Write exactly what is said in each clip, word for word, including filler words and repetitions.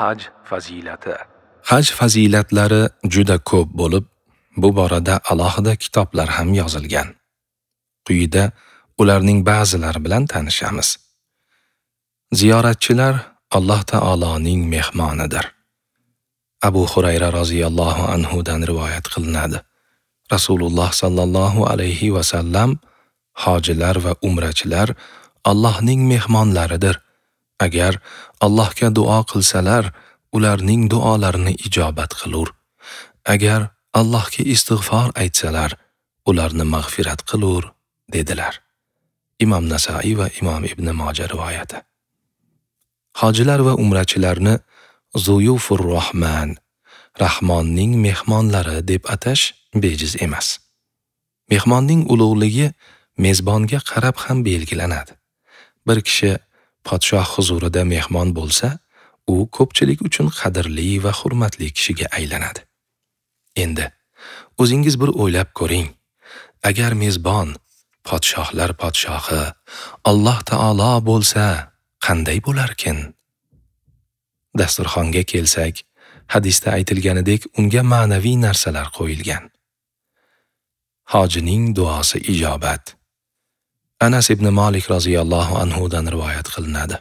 Haj fazilati. Haj fazilatlari juda ko'p bo'lib, bu borada alohida kitoblar ham yozilgan. Quyida ularning ba'zilari bilan tanishamiz. Ziyoratchilar Alloh taoloning mehmonidir. Abu Hurayra roziyallohu anhu dan rivoyat qilinadi. Rasululloh sallallohu alayhi va sallam hojilar va umrachilar Allohning mehmonlaridir. Agar Allohga duo qilsalar, ularning duolarini ijobat qilur. Agar Allohga istig'for aytsalar, ularni mag'firat qilur, dedilar. Imom Nasaiy va Imom Ibn Moja rivoyati. Hojilar va umrachilarni Zuyufur Rahman, Rahmonning mehmonlari deb atash bejiz emas. Mehmonning ulug'ligi mezbonga qarab ham belgilanadi. Bir kishi podshoh huzurida mehmon bo'lsa, u ko'pchilik uchun qadrli va hurmatli kishiga aylanadi. Endi o'zingiz bir o'ylab ko'ring. Agar mezbon podshohlar podshohi Alloh taolo bo'lsa, qanday bo'larkin? Dasturxonga kelsak, hadisda aytilganidek unga ma'naviy narsalar qo'yilgan. Hojining duosi ijobat. Anas ibn Malik roziyallohu anhu dan rivoyat qilinadi.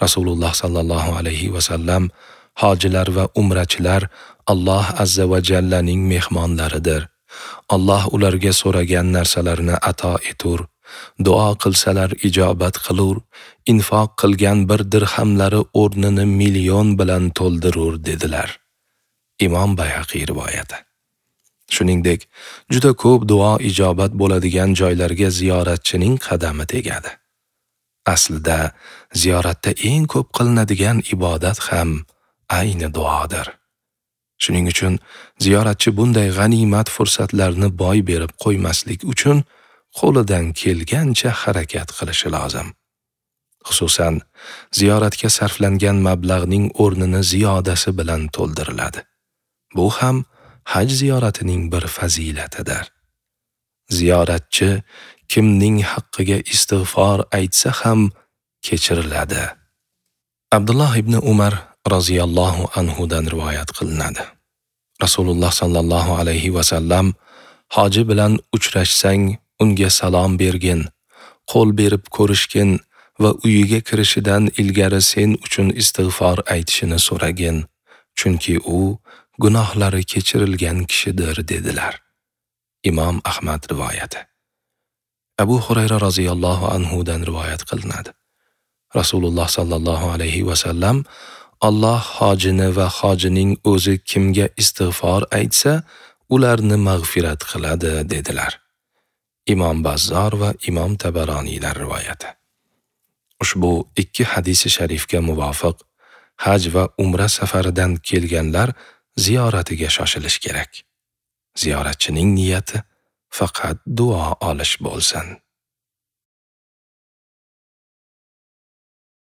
Rasululloh sallallohu alayhi va sallam hojilar va umrachilar Alloh azza va jallaning mehmonlaridir. Alloh ularga so'ragan narsalarini ato etur. Duo qilsalar ijobat qilur, infoq qilgan bir dirhamlari o'rnini million bilan to'ldirur, dedilar. Imom Bayhaqiy rivoyati. Shuningdek, juda ko'p duo ijobat bo'ladigan joylarga ziyoratchining qadami tegadi. Aslida ziyoratda eng ko'p qilinadigan ibodat ham ayni duodir. Shuning uchun ziyoratchi bunday g'animat fursatlarni boy berib qo'ymaslik uchun qo'lidan kelgancha harakat qilishi lozim. Xususan, ziyoratga sarflangan mablag'ning o'rnini ziyodasi bilan to'ldiriladi. Bu ham haj ziyoratining bir fazilatidir. Ziyoratchi kimning haqqiga istig'for aytsa ham kechiriladi. Abdulloh ibn Umar roziyallohu anhu dan rivoyat qilinadi. Rasululloh sallallohu alayhi va sallam hoji bilan uchrashsang unga salom bergin, qo'l berib ko'rishgin va uyiga kirishidan ilgari sen uchun istig'for aytishini so'ragin, chunki u gunohlari kechirilgan kishidir, dedilar. Imom Ahmad rivoyati. Abu Hurayra roziyallohu anhu dan rivoyat qilinadi. Rasululloh sallallohu alayhi va sallam Alloh hojini va hojining o'zi kimga istig'for aytsa, ularni mag'firat qiladi, dedilar. Imom Bazzor va Imom Tabaroniylar rivoyati. Ushbu ikki hadisi sharifga muvofiq haj va umra safaridan kelganlar ziyoratiga shoshilish kerak. Ziyoratchining niyati faqat duo olish bo'lsin.